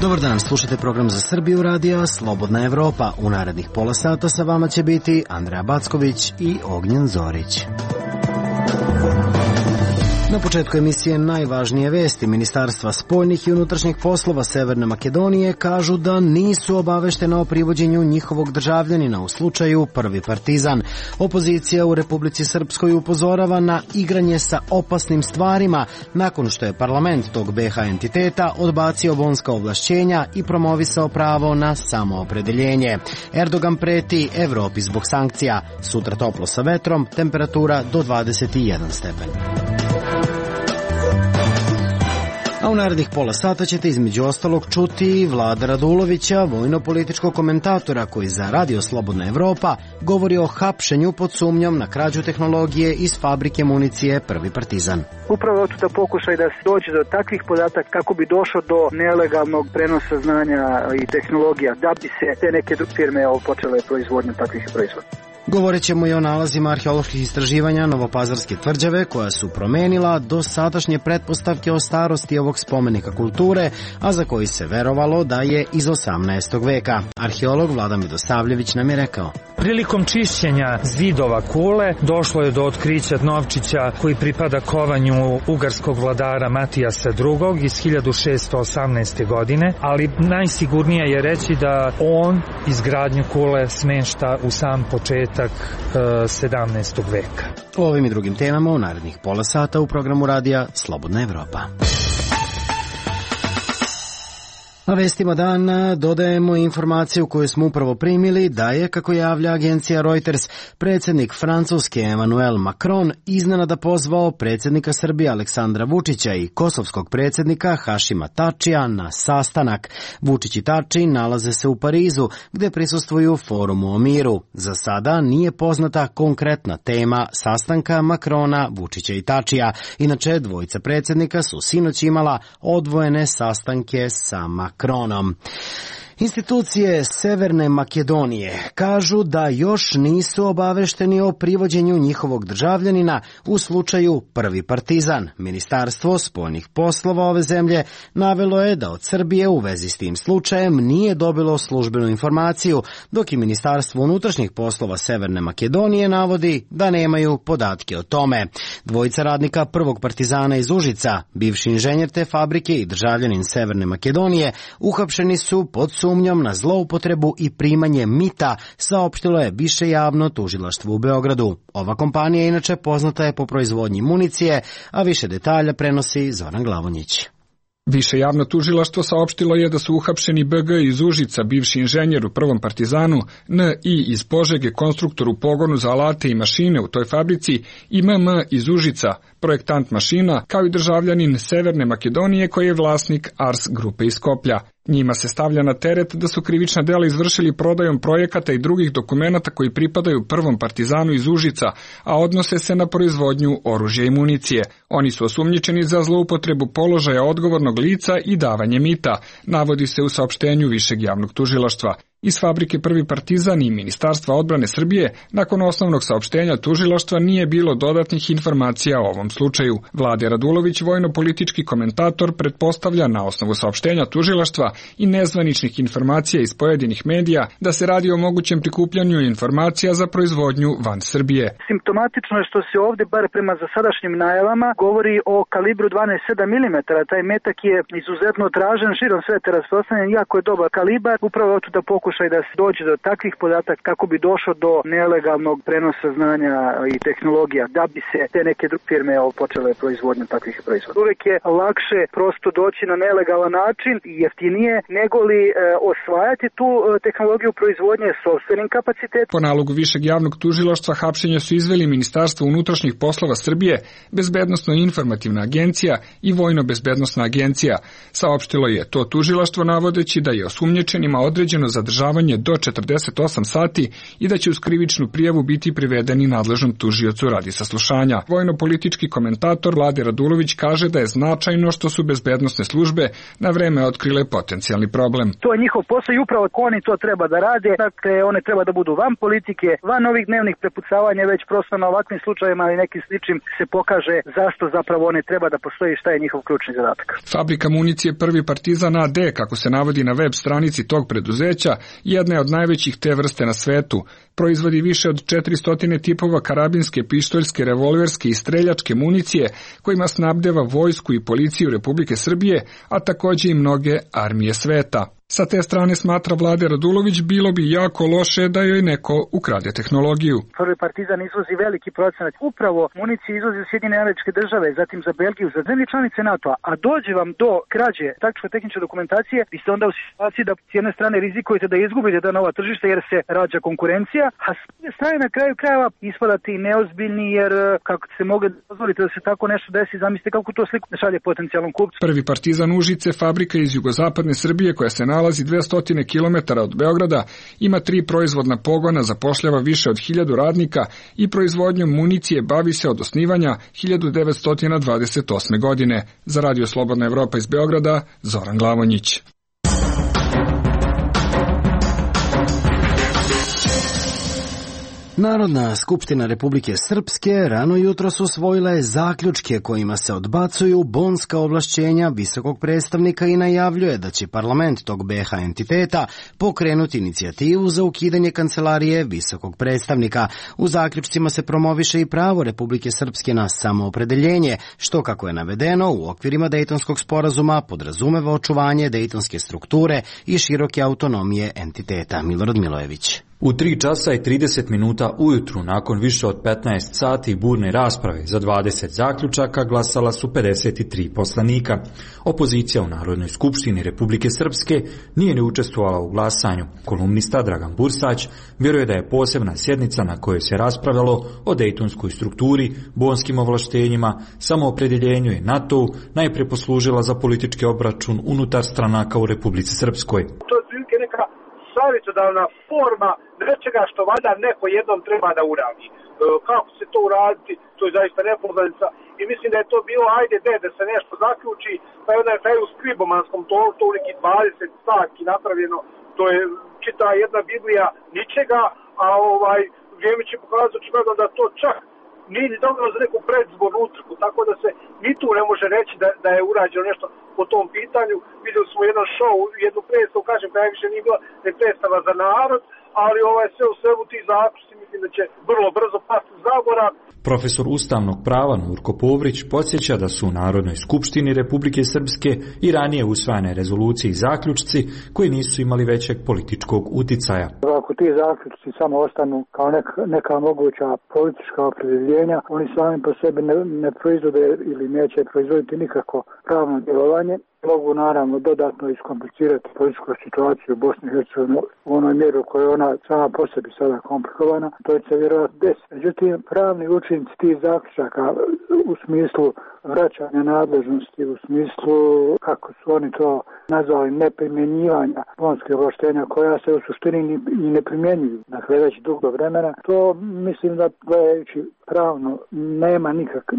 Dobar dan, slušate program za Srbiju radija Slobodna Evropa. U narednih pola sata sa vama će biti Andreja Backović i Ognjen Zorić. Na početku emisije najvažnije vesti. Ministarstva spoljnih i unutrašnjih poslova Severne Makedonije kažu da nisu obaveštena o privođenju njihovog državljanina u slučaju Prvi Partizan. Opozicija u Republici Srpskoj upozorava na igranje sa opasnim stvarima nakon što je parlament tog BiH entiteta odbacio bonska ovlašćenja i promovisao pravo na samoopredeljenje. Erdogan preti Evropi zbog sankcija. Sutra toplo sa vetrom, temperatura do 21 stepen. A u narednih pola sata ćete između ostalog čuti Vlada Radulovića, vojno-političkog komentatora koji za Radio Slobodna Evropa govori o hapšenju pod sumnjom na krađu tehnologije iz fabrike municije Prvi Partizan. Upravo je to pokušaj da se dođe do takvih podataka kako bi došlo do nelegalnog prenosa znanja i tehnologija, da bi se te neke firme počele proizvodnju takvih proizvoda. Govorit ćemo i o nalazima arheoloških istraživanja Novopazarske tvrđave koja su promenila do sadašnje pretpostavke o starosti ovog spomenika kulture, a za koji se verovalo da je iz 18. veka. Arheolog Vlada Medosavljević nam je rekao. Prilikom čišćenja zidova kule došlo je do otkrića novčića koji pripada kovanju ugarskog vladara Matijasa II. Iz 1618. godine, ali najsigurnije je reći da on izgradnju kule smešta u sam početak 17. veka. O ovim i drugim temama u narednih pola sata u programu radija Slobodna Evropa. Na vestima dana dodajemo informaciju koju smo upravo primili da je, kako javlja agencija Reuters, predsjednik Francuske Emmanuel Macron iznenada pozvao predsjednika Srbije Aleksandra Vučića i kosovskog predsjednika Hašima Tačija na sastanak. Vučić i Tači nalaze se u Parizu gdje prisustvuju forumu o miru. Za sada nije poznata konkretna tema sastanka Macrona, Vučića i Tačija. Inače, dvojica predsjednika su sinoć imala odvojene sastanke sa Macronom. Institucije Severne Makedonije kažu da još nisu obavešteni o privođenju njihovog državljanina u slučaju Prvi Partizan. Ministarstvo spoljnih poslova ove zemlje navelo je da od Srbije u vezi s tim slučajem nije dobilo službenu informaciju, dok i Ministarstvo unutrašnjih poslova Severne Makedonije navodi da nemaju podatke o tome. Dvojica radnika Prvog Partizana iz Užica, bivši inženjer te fabrike i državljanin Severne Makedonije, uhapšeni su pod sumnjom na zloupotrebu i primanje mita, saopštilo je Više javno tužilaštvo u Beogradu. Ova kompanija inače poznata je po proizvodnji municije, a više detalja prenosi Zoran Glavonjić. Više javno tužilaštvo saopštilo je da su uhapšeni BG iz Užica, bivši inženjer u Prvom Partizanu, NI iz Požege, konstruktor u pogonu za alate i mašine u toj fabrici, i MM iz Užica, projektant mašina, kao i državljanin Severne Makedonije koji je vlasnik Ars grupe iz Skoplja. Njima se stavlja na teret da su krivična dela izvršili prodajom projekata i drugih dokumenata koji pripadaju Prvom Partizanu iz Užica, a odnose se na proizvodnju oružja i municije. Oni su osumnjičeni za zloupotrebu položaja odgovornog lica i davanje mita, navodi se u saopštenju Višeg javnog tužilaštva. Iz fabrike Prvi Partizan i Ministarstva odbrane Srbije nakon osnovnog saopštenja tužilaštva nije bilo dodatnih informacija o ovom slučaju. Vlada Radulović, vojno-politički komentator, pretpostavlja na osnovu saopštenja tužilaštva i nezvaničnih informacija iz pojedinih medija da se radi o mogućem prikupljanju informacija za proizvodnju van Srbije. Simptomatično je što se ovdje, bar prema zasadašnjim najavama, govori o kalibru 12,7 mm. Taj metak je izuzetno tražen, širom sveta rasprostranjen, jako je dobar kalibar, upravo tu da pokušaj da se dođe do takvih podataka kako bi došlo do nelegalnog prenosa znanja i tehnologija, da bi se te neke firme počele proizvodnju takvih proizvoda. Uvijek je lakše prosto doći na nelegalan način i jeftinije nego li osvajati tu tehnologiju proizvodnje sopstvenim kapacitetom. Po nalogu Višeg javnog tužilaštva hapšenja su izveli Ministarstvo unutrašnjih poslova Srbije, Bezbednosno-informativna agencija i Vojno-bezbednosna agencija. Saopštilo je to tužilaštvo navodeći da je osumnjičenima određeno zadržavanje izdržavanje do 48 sati i da će uz krivičnu prijavu biti privedeni nadležnom tužiocu radi saslušanja. Vojno-politički komentator Vlade Radulović kaže da je značajno što su bezbednosne službe na vreme otkrile potencijalni problem. To je njihov posao i upravo oni to treba da rade. Dakle, one treba da budu van politike, van ovih dnevnih prepucavanja, već prosto na ovakvim slučajevima i nekim sličnim se pokaže zašto zapravo one treba da postoji, šta je njihov ključni zadatak. Fabrika municije Prvi Partizan AD, kako se navodi na web stranici tog preduzeća, jedna je od najvećih te vrste na svetu. Proizvodi više od 400 tipova karabinske, pištoljske, revolverske i streljačke municije kojima snabdeva vojsku i policiju Republike Srbije, a takođe i mnoge armije sveta. Sa te strane, smatra Vlade Radulović, bilo bi jako loše da joj neko ukrade tehnologiju. Prvi Partizan izvozi veliki procenat. Upravo municije izvozi u Sjedinjene Američke Države, zatim za Belgiju, za zemlje članice NATO-a, a dođe vam do krađe taktičko-tehničke dokumentacije, vi ste onda u situaciji da s jedne strane rizikujete da izgubite da nova tržišta jer se rađa konkurencija, a s druge strane na kraju krajeva ispadate i neozbiljni jer kako se mogu dozvoliti da se tako nešto desi, zamislite kako to sliku šalje potencijalnom kupcu. Prvi Partizan Užice, fabrika iz jugozapadne Srbije koja se nalazi 200 km od Beograda, ima 3 proizvodna pogona, zapošljava više od 1000 radnika i proizvodnjom municije bavi se od osnivanja 1928. godine. Za Radio Slobodna Evropa iz Beograda, Zoran Glavonjić. Narodna skupština Republike Srpske rano jutros usvojila je zaključke kojima se odbacuju bonska ovlašćenja visokog predstavnika i najavljuje da će parlament tog BiH entiteta pokrenuti inicijativu za ukidanje kancelarije visokog predstavnika. U zaključcima se promoviše i pravo Republike Srpske na samoopredeljenje, što, kako je navedeno, u okvirima Dejtonskog sporazuma podrazumeva očuvanje dejtonske strukture i široke autonomije entiteta. Milorad Milojević. U 3 časa i 30 minuta ujutru, nakon više od 15 sati burne rasprave za 20 zaključaka, glasala su 53 poslanika. Opozicija u Narodnoj skupštini Republike Srpske nije ni učestvovala u glasanju. Kolumnista Dragan Bursać vjeruje da je posebna sjednica na kojoj se raspravljalo o dejtonskoj strukturi, bonskim ovlaštenjima, samoopredjeljenju i NATO-u najprije poslužila za politički obračun unutar stranaka u Republici Srpskoj. To je prilike neka savjetodavna forma nečega što valjda neko jednom treba da uradi. Kako se to uraditi, to je zaista nepoznanica i mislim da je to bilo ajde da se nešto zaključi, pa je onda je u skribomanskom to u neki 20 stavki napravljeno, to je čita jedna Biblija ničega, a vrijeme će pokazati očigledno da to čak nije ni dobro za neku predzbornu utrku, tako da se ni tu ne može reći da je urađeno nešto po tom pitanju. Vidjeli smo jedan show, jednu predstavu, kažem, koja više nije bila predstava za narod, ali sve u svemu ti zaključci mislim da će vrlo brzo pasti u zaborav. Profesor ustavnog prava Nurko Povrić podsjeća da su u Narodnoj skupštini Republike Srpske i ranije usvajane rezolucije i zaključci koji nisu imali većeg političkog uticaja. Ako ti zaključci samo ostanu kao neka moguća politička opredjeljenja, oni sami po sebi ne proizvode ili neće proizvoditi nikako pravno djelovanje. Mogu naravno dodatno iskomplicirati političku situaciju u Bosni i Hercegovini u onoj mjeri u kojoj ona sama po sebi sada komplikovana, to će se vjerojatno desiti. Međutim, pravni učinci tih zaključaka u smislu vraćanja nadležnosti, u smislu, kako su oni to nazvali, neprimjenjivanja bonskih ovlaštenja koja se u suštini i ne primjenjuju, dakle već dugo vremena, to mislim da gledajući pravno nema nikakve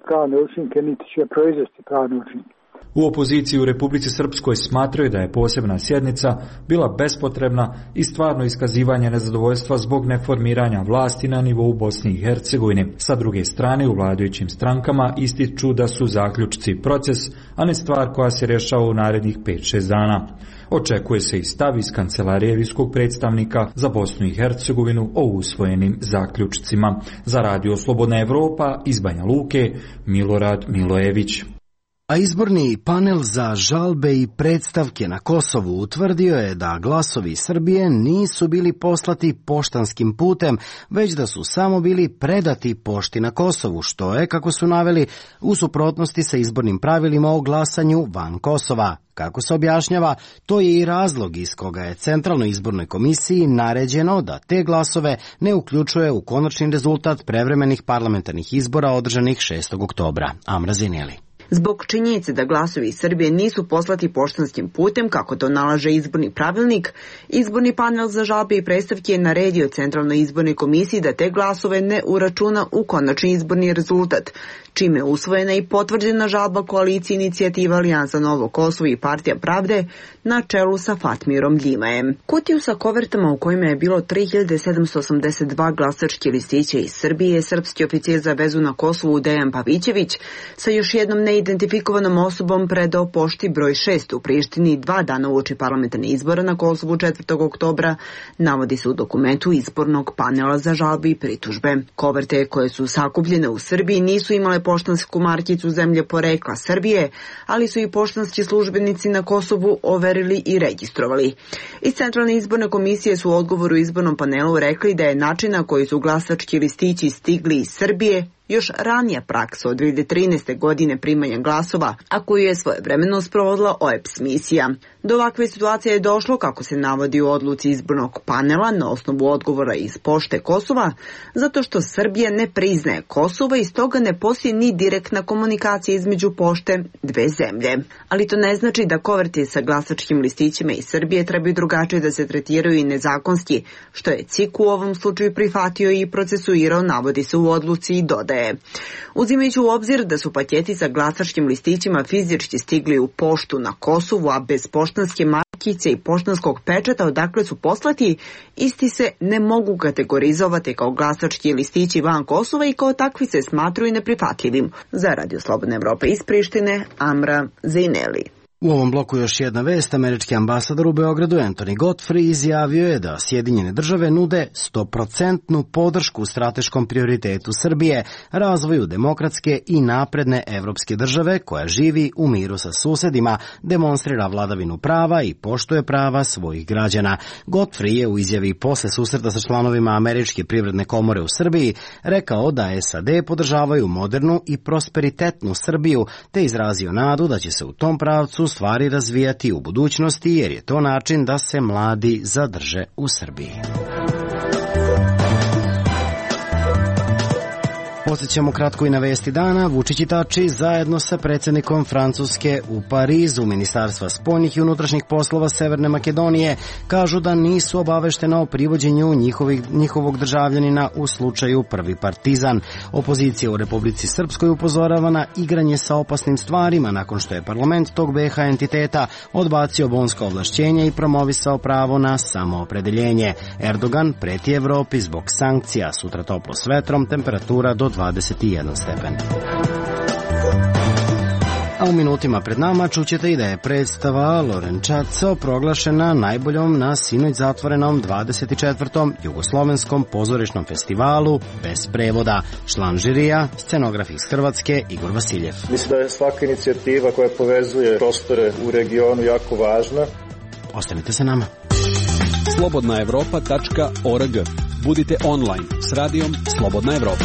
pravne učinke, niti će proizvesti pravne učinke. U opoziciji u Republici Srpskoj smatraju da je posebna sjednica bila bespotrebna i stvarno iskazivanje nezadovoljstva zbog neformiranja vlasti na nivou Bosne i Hercegovine. Sa druge strane, u vladajućim strankama ističu da su zaključci proces, a ne stvar koja se rješava u narednih 5-6 dana. Očekuje se i stav iz kancelarije visokog predstavnika za Bosnu i Hercegovinu o usvojenim zaključcima. Za Radio Slobodna Evropa iz Banja Luke, Milorad Milojević. A izborni panel za žalbe i predstavke na Kosovu utvrdio je da glasovi Srbije nisu bili poslati poštanskim putem, već da su samo bili predati pošti na Kosovu, što je, kako su naveli, u suprotnosti sa izbornim pravilima o glasanju van Kosova. Kako se objašnjava, to je i razlog iz koga je Centralnoj izbornoj komisiji naređeno da te glasove ne uključuje u konačni rezultat prevremenih parlamentarnih izbora održanih 6. oktobra. Amra Zineli. Zbog činjenice da glasovi iz Srbije nisu poslati poštanskim putem, kako to nalaže izborni pravilnik, izborni panel za žalbe i predstavke je naredio Centralnoj izbornoj komisiji da te glasove ne uračuna u konačni izborni rezultat, čime je usvojena i potvrđena žalba koalicije Inicijativa Alijansa Novo Kosovo i Partija Pravde na čelu sa Fatmirom Ljimajem. Kutiju sa kovertama u kojima je bilo 3782 glasački listića iz Srbije, srpski oficir za vezu na Kosovu Dejan Pavićević sa još jednom neidentifikovanom osobom predao pošti broj 6 u Prištini 2 dana uoči parlamentarnih izbora na Kosovu 4. oktobra, navodi se u dokumentu izbornog panela za žalbe i pritužbe. Koverte koje su sakupljene u Srbiji nisu imale poštansku markicu zemlje porekla Srbije, ali su i poštanski službenici na Kosovu overili i registrovali. Iz Centralne izborne komisije su u odgovoru izbornom panelu rekli da je način na koji su glasački listići stigli iz Srbije još ranija praksa od 2013. godine primanja glasova, a koju je svojevremeno sprovodila OEBS misija. Do ovakve situacije je došlo, kako se navodi u odluci izbornog panela na osnovu odgovora iz Pošte Kosova, zato što Srbija ne priznaje Kosovo i stoga ne postoji ni direktna komunikacija između pošte dve zemlje. Ali to ne znači da koverti sa glasačkim listićima iz Srbije trebaju drugačije da se tretiraju i nezakonski, što je CIK u ovom slučaju prihvatio i procesuirao, navodi se u odluci i dodaje. Uzimajući u obzir da su paketi sa glasačkim listićima fizički stigli u poštu na Kosovu, a bez poštanske markice i poštanskog pečata odakle su poslati, isti se ne mogu kategorizovati kao glasački listići van Kosova i kao takvi se smatruju neprihvatljivim. Za Radio Slobodna Evropa iz Prištine, Amra Zejneli. U ovom bloku još jedna vest. Američki ambasador u Beogradu Anthony Godfrey izjavio je da Sjedinjene države nude 100% podršku strateškom prioritetu Srbije, razvoju demokratske i napredne evropske države koja živi u miru sa susedima, demonstrira vladavinu prava i poštuje prava svojih građana. Godfrey je u izjavi posle susreta sa članovima Američke privredne komore u Srbiji rekao da SAD podržavaju modernu i prosperitetnu Srbiju, te izrazio nadu da će se u tom pravcu stvari razvijati u budućnosti, jer je to način da se mladi zadrže u Srbiji. Podsjećamo kratko i na vesti dana. Vučić i Tači zajedno sa predsjednikom Francuske u Parizu, Ministarstva spoljnih i unutrašnjih poslova Severne Makedonije kažu da nisu obaveštena o privođenju njihovog državljanina u slučaju Prvi Partizan. Opozicija u Republici Srpskoj upozorava na igranje sa opasnim stvarima nakon što je parlament tog BiH entiteta odbacio bonska ovlašćenja i promovisao pravo na samoopredeljenje. Erdogan preti Evropi zbog sankcija, sutra toplo s vetrom, temperatura do 21 stepen. A u minutima pred nama čućete i da je predstava Lorenčaco proglašena najboljom na sinoć zatvorenom 24. Jugoslovenskom pozorišnom festivalu bez prevoda. Član žirija, scenograf iz Hrvatske Igor Vasiljev. Mislim da je svaka inicijativa koja povezuje prostore u regionu jako važna. Ostanite sa nama. slobodnaevropa.org. Budite online s radijom Slobodna Evropa.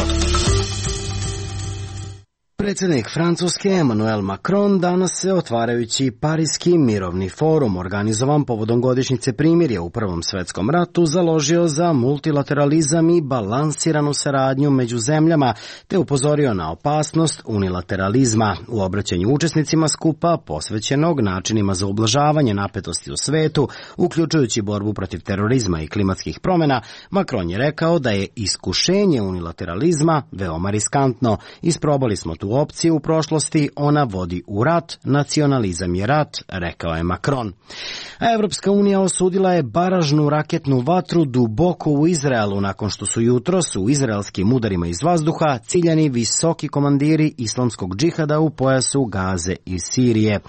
Predsjednik Francuske Emmanuel Macron danas se, otvarajući Parijski mirovni forum organizovan povodom godišnjice primirja u Prvom svetskom ratu, založio za multilateralizam i balansiranu saradnju među zemljama, te upozorio na opasnost unilateralizma. U obraćanju učesnicima skupa posvećenog načinima za ublažavanje napetosti u svetu, uključujući borbu protiv terorizma i klimatskih promjena, Macron je rekao da je iskušenje unilateralizma veoma riskantno. Isprobali smo tu opciju u prošlosti, ona vodi u rat, nacionalizam je rat, rekao je Macron. A Evropska unija osudila je baražnu raketnu vatru duboko u Izraelu nakon što su jutros u izraelskim udarima iz vazduha ciljani visoki komandiri islamskog džihada u pojasu Gaze i Sirije.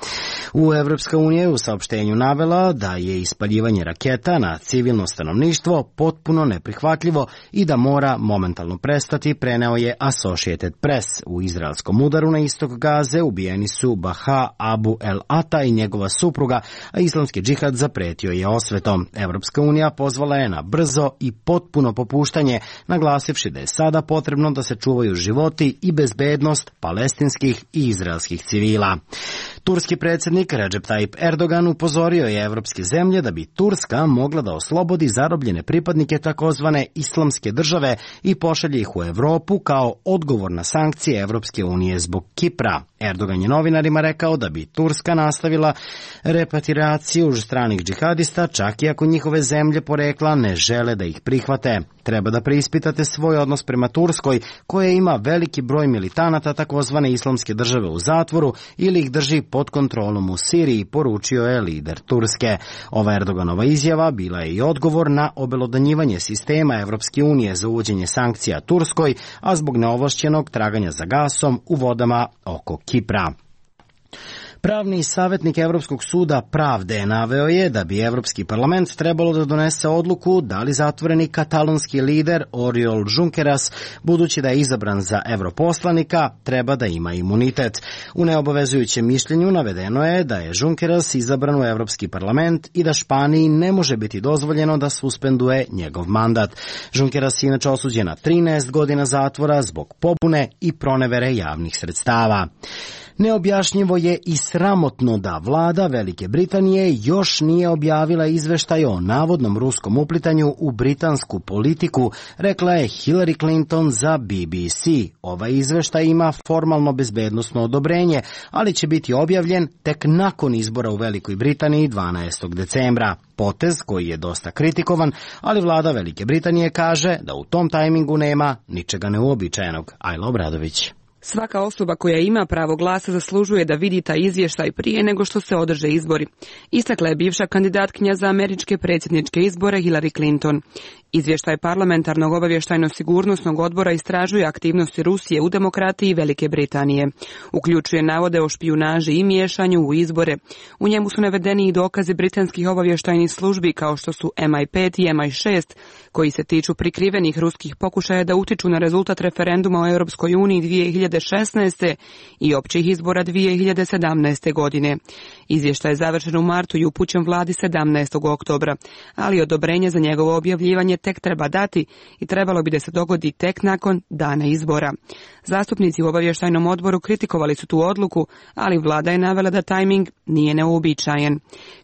Evropska unija je u saopštenju navela da je ispaljivanje raketa na civilno stanovništvo potpuno neprihvatljivo i da mora momentalno prestati, preneo je Associated Press. U izraelskom udaru na istok Gaze ubijeni su Baha Abu El Ata i njegova supruga, a islamski džihad zapretio je osvetom. Evropska unija pozvala je na brzo i potpuno popuštanje, naglasivši da je sada potrebno da se čuvaju životi i bezbednost palestinskih i izraelskih civila. Turski predsjednik Recep Tayyip Erdogan upozorio je evropske zemlje da bi Turska mogla da oslobodi zarobljene pripadnike takozvane islamske države i pošalje ih u Evropu kao odgovor na sankcije Evropske unije unije zbog Kipra. Erdogan je novinarima rekao da bi Turska nastavila repatriaciju stranih džihadista, čak i ako njihove zemlje porekla ne žele da ih prihvate. Treba da preispitate svoj odnos prema Turskoj, koja ima veliki broj militanata takozvane islamske države u zatvoru ili ih drži pod kontrolom u Siriji, poručio je lider Turske. Ova Erdoganova izjava bila je i odgovor na obelodanjivanje sistema Evropske unije za uvođenje sankcija Turskoj, a zbog neovlašćenog traganja za gasom u vodama oko Kipra. Pravni savjetnik Evropskog suda pravde naveo je da bi Evropski parlament trebalo da donese odluku da li zatvoreni katalonski lider Oriol Junqueras, budući da je izabran za europoslanika, treba da ima imunitet. U neobavezujućem mišljenju navedeno je da je Junqueras izabran u Evropski parlament i da Španiji ne može biti dozvoljeno da suspenduje njegov mandat. Junqueras je inače osuđen na 13 godina zatvora zbog pobune i pronevere javnih sredstava. Neobjašnjivo je i sramotno da vlada Velike Britanije još nije objavila izveštaj o navodnom ruskom uplitanju u britansku politiku, rekla je Hillary Clinton za BBC. Ovaj izveštaj ima formalno bezbednosno odobrenje, ali će biti objavljen tek nakon izbora u Velikoj Britaniji 12. decembra. Potez koji je dosta kritikovan, ali vlada Velike Britanije kaže da u tom tajmingu nema ničega neuobičajenog. Ajla Obradović. Svaka osoba koja ima pravo glasa zaslužuje da vidi taj izvještaj prije nego što se održe izbori. Istakla je bivša kandidatkinja za američke predsjedničke izbore Hillary Clinton. Izvještaj parlamentarnog obavještajno-sigurnosnog odbora istražuje aktivnosti Rusije u demokratiji Velike Britanije. Uključuje navode o špijunaži i miješanju u izbore. U njemu su navedeni i dokazi britanskih obavještajnih službi kao što su MI5 i MI6, koji se tiču prikrivenih ruskih pokušaja da utiču na rezultat referenduma o Europskoj uniji 2016. i općih izbora 2017. godine. Izvještaj je završen u martu i upućen vladi 17. oktobra, ali odobrenje za njegovo objavljivanje tek treba dati i trebalo bi da se dogodi tek nakon dana izbora. Zastupnici u obavještajnom odboru kritikovali su tu odluku, ali vlada je navela da tajming nije neuobičajen.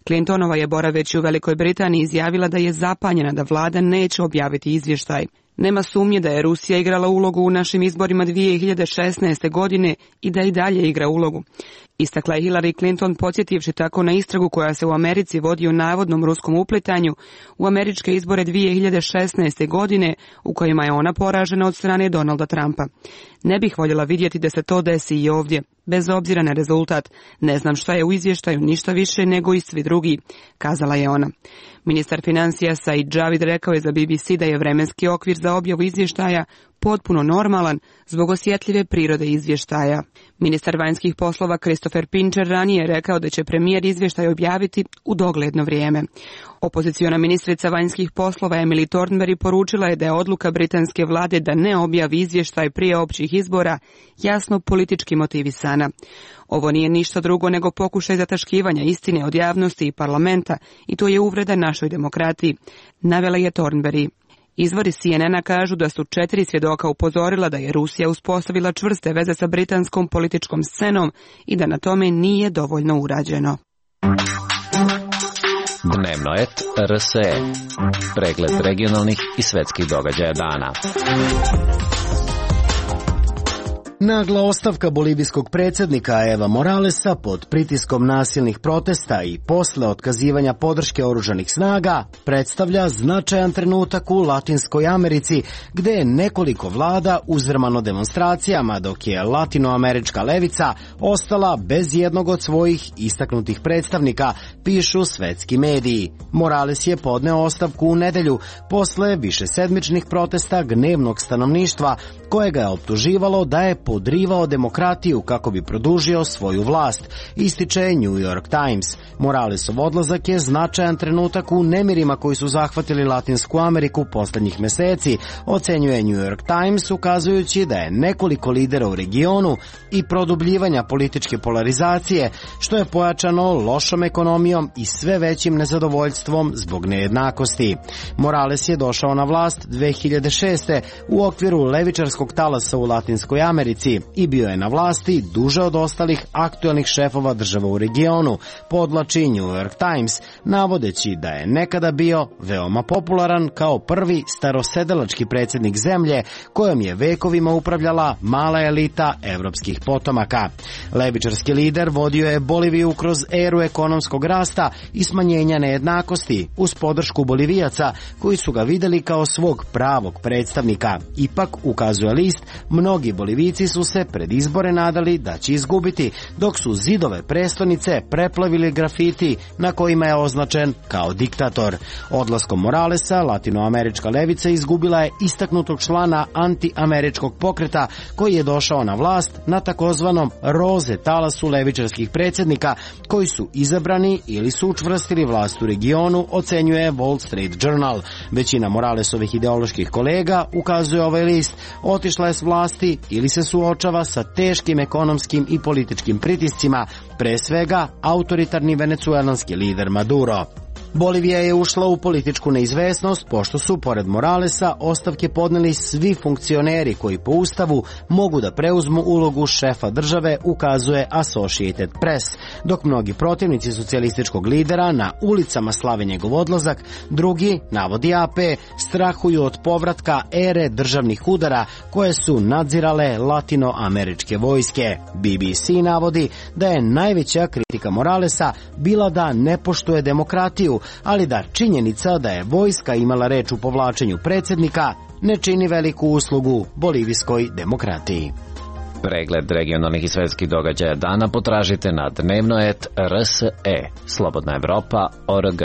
Clintonova je boraveći u Velikoj Britaniji izjavila da je zapanjena da vlada neće objaviti izvještaj. Nema sumnje da je Rusija igrala ulogu u našim izborima 2016. godine i da i dalje igra ulogu. Istakla je Hillary Clinton, podsjetivši tako na istragu koja se u Americi vodi o navodnom ruskom uplitanju u američke izbore 2016. godine, u kojima je ona poražena od strane Donalda Trumpa. Ne bih voljela vidjeti da se to desi i ovdje, bez obzira na rezultat. Ne znam šta je u izvještaju, ništa više nego i svi drugi, kazala je ona. Ministar financija Said Javid rekao je za BBC da je vremenski okvir za objavu izvještaja potpuno normalan zbog osjetljive prirode izvještaja. Ministar vanjskih poslova Christopher Pincher ranije je rekao da će premijer izvještaj objaviti u dogledno vrijeme. Opoziciona ministrica vanjskih poslova Emily Thornberry poručila je da je odluka britanske vlade da ne objavi izvještaj prije općih izbora jasno politički motivisana. Ovo nije ništa drugo nego pokušaj zataškivanja istine od javnosti i parlamenta i to je uvreda našoj demokratiji, navela je Thornberry. Izvori CNN-a kažu da su 4 svjedoka upozorila da je Rusija uspostavila čvrste veze sa britanskom političkom scenom i da na tome nije dovoljno urađeno. Dnevno et RSE. Pregled regionalnih i svetskih događaja dana. Nagla ostavka bolivijskog predsjednika Eva Moralesa pod pritiskom nasilnih protesta i posle otkazivanja podrške oružanih snaga predstavlja značajan trenutak u Latinskoj Americi, gde je nekoliko vlada uzrmano demonstracijama, dok je latinoamerička levica ostala bez jednog od svojih istaknutih predstavnika, pišu svetski mediji. Morales je podneo ostavku u nedelju posle višesedmičnih protesta gnevnog stanovništva, koje ga je optuživalo da je podrivao demokratiju kako bi produžio svoju vlast, ističe New York Times. Moralesov odlazak je značajan trenutak u nemirima koji su zahvatili Latinsku Ameriku poslednjih meseci, ocenjuje New York Times, ukazujući da je nekoliko lidera u regionu i produbljivanja političke polarizacije, što je pojačano lošom ekonomijom i sve većim nezadovoljstvom zbog nejednakosti. Morales je došao na vlast 2006. u okviru levičarskog talasa u Latinskoj Americi, prestonici i bio je na vlasti duže od ostalih aktuelnih šefova država u regionu, podvlači New York Times, navodeći da je nekada bio veoma popularan kao prvi starosedelački predsjednik zemlje kojom je vekovima upravljala mala elita evropskih potomaka. Levičarski lider vodio je Boliviju kroz eru ekonomskog rasta i smanjenja nejednakosti uz podršku Bolivijaca koji su ga vidjeli kao svog pravog predstavnika. Ipak, ukazuje list, mnogi Bolivijci su se pred izbore nadali da će izgubiti, dok su zidove prestonice preplavili grafiti na kojima je označen kao diktator. Odlaskom Moralesa, latinoamerička levica izgubila je istaknutog člana antiameričkog pokreta koji je došao na vlast na takozvanom roze talasu levičarskih predsjednika koji su izabrani ili su učvrstili vlast u regionu, ocenjuje Wall Street Journal. Većina Moralesovih ideoloških kolega, ukazuje ovaj list, otišla je s vlasti ili se suočava sa teškim ekonomskim i političkim pritiscima, pre svega autoritarni venecuelanski lider Maduro. Bolivija je ušla u političku neizvesnost pošto su, pored Moralesa, ostavke podneli svi funkcioneri koji po ustavu mogu da preuzmu ulogu šefa države, ukazuje Associated Press, dok mnogi protivnici socijalističkog lidera na ulicama slave njegov odlazak, drugi, navodi AP, strahuju od povratka ere državnih udara koje su nadzirale latinoameričke vojske. BBC navodi da je najveća kritika Moralesa bila da ne poštuje demokratiju, ali da činjenica da je vojska imala reč u povlačenju predsjednika ne čini veliku uslugu bolivijskoj demokratiji. Pregled regionalnih i svetskih događaja dana potražite na dnevnoet.rse, Slobodna Evropa.org.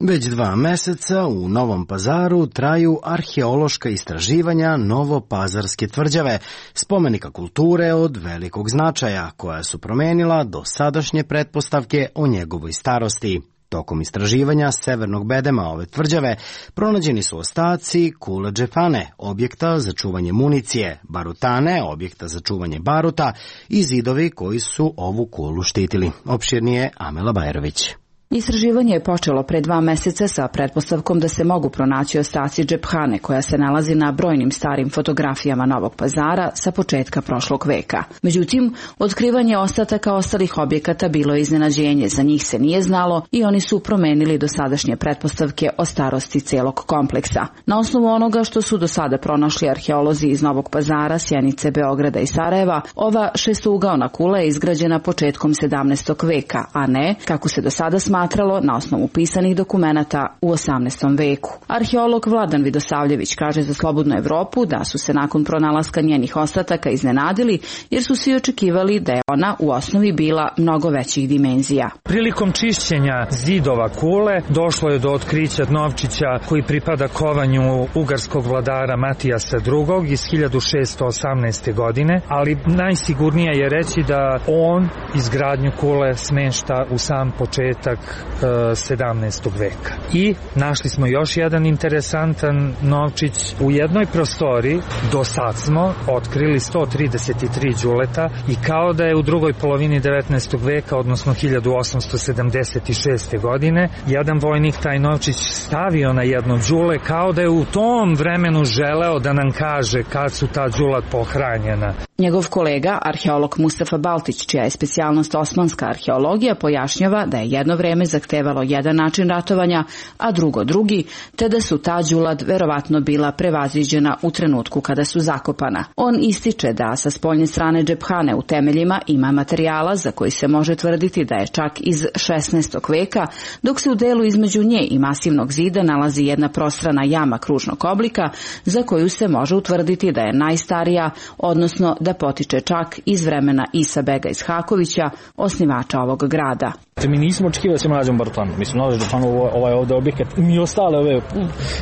Već 2 meseca u Novom Pazaru traju arheološka istraživanja Novopazarske tvrđave, spomenika kulture od velikog značaja, koja su promenila dosadašnje pretpostavke o njegovoj starosti. Tokom istraživanja severnog bedema ove tvrđave pronađeni su ostaci kule džepane, objekta za čuvanje municije, barutane, objekta za čuvanje baruta i zidovi koji su ovu kulu štitili. Opširnije Amela Bajrović. Istraživanje je počelo pre 2 meseca sa pretpostavkom da se mogu pronaći ostaci džephane koja se nalazi na brojnim starim fotografijama Novog Pazara sa početka prošlog veka. Međutim, otkrivanje ostataka ostalih objekata bilo je iznenađenje, za njih se nije znalo i oni su promenili dosadašnje pretpostavke o starosti celog kompleksa. Na osnovu onoga što su do sada pronašli arheolozi iz Novog Pazara, Sjenice, Beograda i Sarajeva, ova šestougaona kula je izgrađena početkom 17. veka, a ne, kako se do sada smatralo, na osnovu pisanih dokumenata u 18. veku. Arheolog Vladan Vidosavljević kaže za Slobodnu Evropu da su se nakon pronalaska njenih ostataka iznenadili jer su svi očekivali da je ona u osnovi bila mnogo većih dimenzija. Prilikom čišćenja zidova kule došlo je do otkrića novčića koji pripada kovanju ugarskog vladara Matijasa II. Iz 1618. godine, ali najsigurnije je reći da on izgradnju kule smešta u sam početak 17. veka. I našli smo još jedan interesantan novčić u jednoj prostori. Do sad smo otkrili 133 đuleta i kao da je u drugoj polovini 19. veka, odnosno 1876. godine, jedan vojnik taj novčić stavio na jedno đule, kao da je u tom vremenu želeo da nam kaže kad su ta đula pohranjena. Njegov kolega, arheolog Mustafa Baltić, čija je specijalnost osmanska arheologija, pojašnjava da je jedno vreme zahtevalo jedan način ratovanja, a drugo drugi, te da su ta đulad verovatno bila prevaziđena u trenutku kada su zakopana. On ističe da sa spoljne strane džephane u temeljima ima materijala za koji se može tvrditi da je čak iz 16. veka, dok se u delu između nje i masivnog zida nalazi jedna prostrana jama kružnog oblika za koju se može utvrditi da je najstarija, odnosno da potiče čak iz vremena Isa Bega iz Hakovića, osnivača ovog grada. Mi nismo očekivali da ćemo nađemo barutanu. Mi smo nalazili ovaj ovdje objekat i ostale ove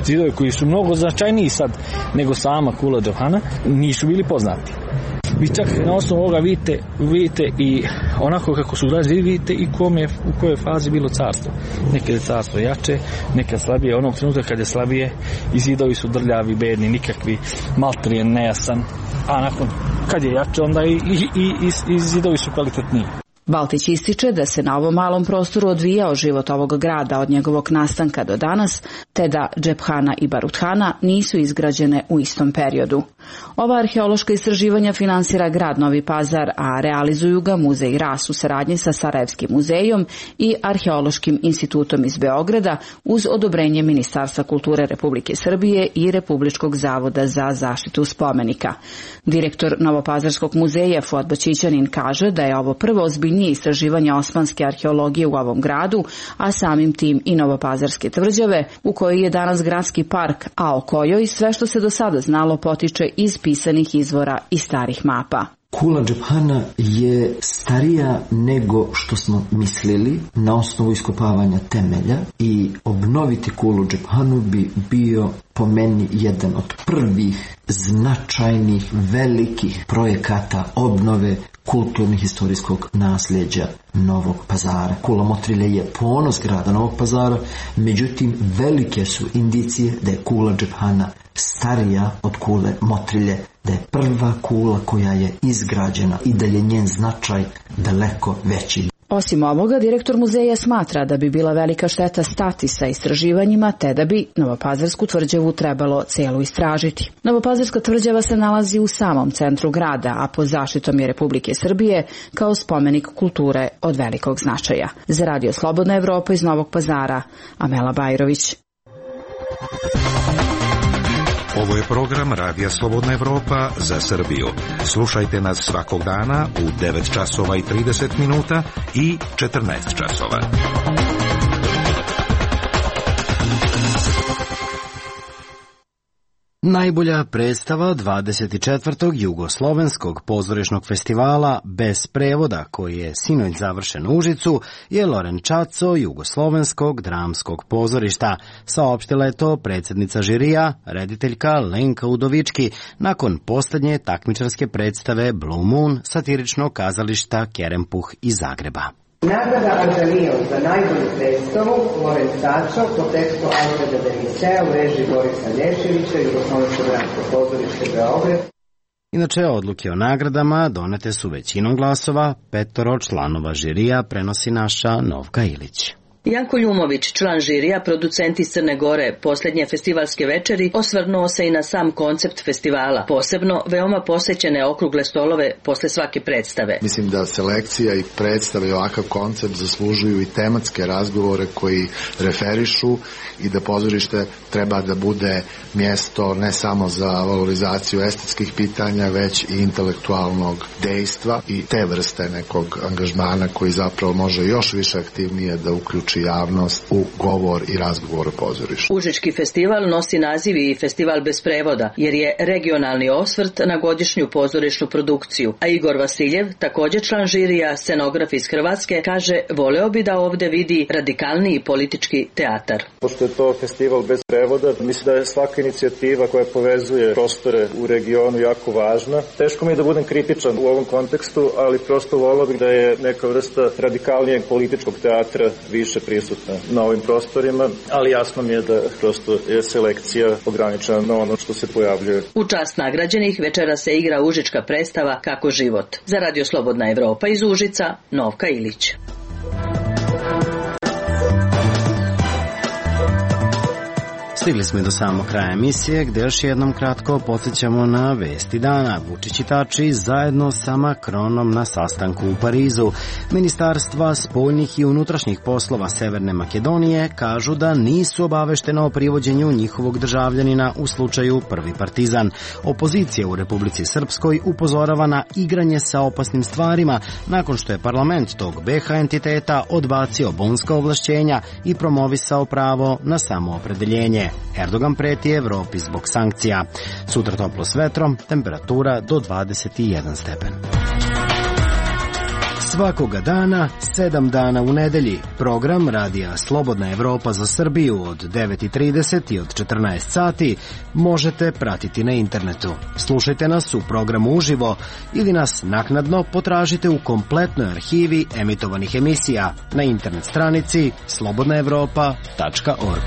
zidove koji su mnogo značajniji sad nego sama kula džephana nisu bili poznati. Vi čak na osnovu ovoga vidite i onako kako su ulazili, vidite i u kojoj fazi bilo carstvo. Nekad je carstvo jače, nekad slabije. Onog trenutka kad je slabije i zidovi su drljavi, bedni, nikakvi, maltrijen, nejasan. A nakon kad je jače, onda i zidovi su kvalitetniji. Baltić ističe da se na ovom malom prostoru odvijao život ovog grada od njegovog nastanka do danas, te da Džephana i Baruthana nisu izgrađene u istom periodu. Ova arheološka istraživanja finansira grad Novi Pazar, a realizuju ga Muzej Ras u saradnji sa Sarajevskim muzejom i Arheološkim institutom iz Beograda uz odobrenje Ministarstva kulture Republike Srbije i Republičkog zavoda za zaštitu spomenika. Direktor Novopazarskog muzeja Fuad Bačićanin kaže da je ovo prvo ozbiljnije istraživanje osmanske arheologije u ovom gradu, a samim tim i Novopazarske tvrđave, u kojoj je danas gradski park, a o kojoj sve što se do sada znalo potiče iz pisanih izvora i starih mapa. Kula Džephana je starija nego što smo mislili na osnovu iskopavanja temelja i obnoviti Kulu Džephanu bi bio po meni jedan od prvih značajnih, velikih projekata obnove kulturnih historijskog nasljeđa Novog Pazara. Kula Motrilje je ponos grada Novog Pazara, međutim velike su indicije da je Kula Džephana starija od Kule Motrilje, da je prva kula koja je izgrađena i da je njen značaj daleko veći. Osim ovoga, direktor muzeja smatra da bi bila velika šteta stati sa istraživanjima, te da bi Novopazarsku tvrđavu trebalo celu istražiti. Novopazarska tvrđava se nalazi u samom centru grada, a pod zaštitom je Republike Srbije kao spomenik kulture od velikog značaja. Za Radio Slobodna Evropa iz Novog Pazara, Amela Bajrović. Ovo je program Radija Slobodna Evropa za Srbiju. Slušajte nas svakog dana u 9 časova i 30 minuta i 14 časova. Najbolja predstava 24. Jugoslovenskog pozorišnog festivala bez prevoda, koji je sinoć završen u Užicu, je Lorenčaco Jugoslovenskog dramskog pozorišta. Saopštila je to predsjednica žirija, rediteljka Lenka Udovički, nakon posljednje takmičarske predstave Blue Moon satiričnog kazališta Kerempuh iz Zagreba. Nagrada Anđelion za najbolju predstavu Lorenčaco po tekstu Alfreda Denisea u režiji Borisa Lješevića, Jugoslovensko dramsko pozorište Beograd. Inače, odluke o nagradama donete su većinom glasova, 5 članova žirija prenosi naša Novka Ilić. Janko Ljumović, član žirija, producent iz Crne Gore, posljednje festivalske večeri, osvrnuo se i na sam koncept festivala, posebno veoma posjećene okrugle stolove posle svake predstave. Mislim da selekcija i predstave i ovakav koncept zaslužuju i tematske razgovore koji referišu i da pozorište treba da bude mjesto ne samo za valorizaciju estetskih pitanja, već i intelektualnog dejstva i te vrste nekog angažmana koji zapravo može još više aktivnije da uključi javnost u govor i razgovor o pozorištu. Užički festival nosi naziv i Festival bez prevoda, jer je regionalni osvrt na godišnju pozorišnu produkciju. A Igor Vasiljev, također član žirija, scenograf iz Hrvatske, kaže voleo bi da ovdje vidi radikalniji politički teatar. Pošto je to festival bez prevoda, mislim da je svaka inicijativa koja povezuje prostore u regionu jako važna. Teško mi je da budem kritičan u ovom kontekstu, ali prosto voleo bih da je neka vrsta radikalnijeg političkog teatra više prisutna na ovim prostorima, ali jasno mi je da prosto je selekcija ograničena na ono što se pojavljuje. U čast nagrađenih večera se igra užička predstava Kako život. Za Radio Slobodna Evropa iz Užica, Novka Ilić. Stigli smo do samog kraja emisije, gdje još jednom kratko podsjećamo na vesti dana. Vučić i Tači zajedno sa Makronom na sastanku u Parizu. Ministarstva spoljnih i unutrašnjih poslova Severne Makedonije kažu da nisu obaveštena o privođenju njihovog državljanina u slučaju Prvi Partizan. Opozicija u Republici Srpskoj upozorava na igranje sa opasnim stvarima nakon što je parlament tog BiH entiteta odbacio bonska ovlašćenja i promovisao pravo na samoopredeljenje. Erdogan preti Evropi zbog sankcija. Sutra toplo s vetrom, temperatura do 21 stepen. Svakoga dana, 7 dana u nedelji. Program Radija Slobodna Evropa za Srbiju od 9:30 i od 14 sati možete pratiti na internetu. Slušajte nas u programu uživo ili nas naknadno potražite u kompletnoj arhivi emitovanih emisija na internet stranici slobodnaevropa.org.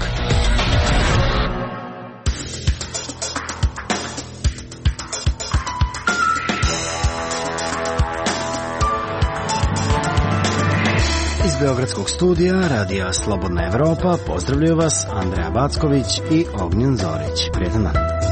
Iz Beogradskog studija Radija Slobodna Evropa pozdravljaju vas Andreja Backović i Ognjen Zorić. Prijetan dan.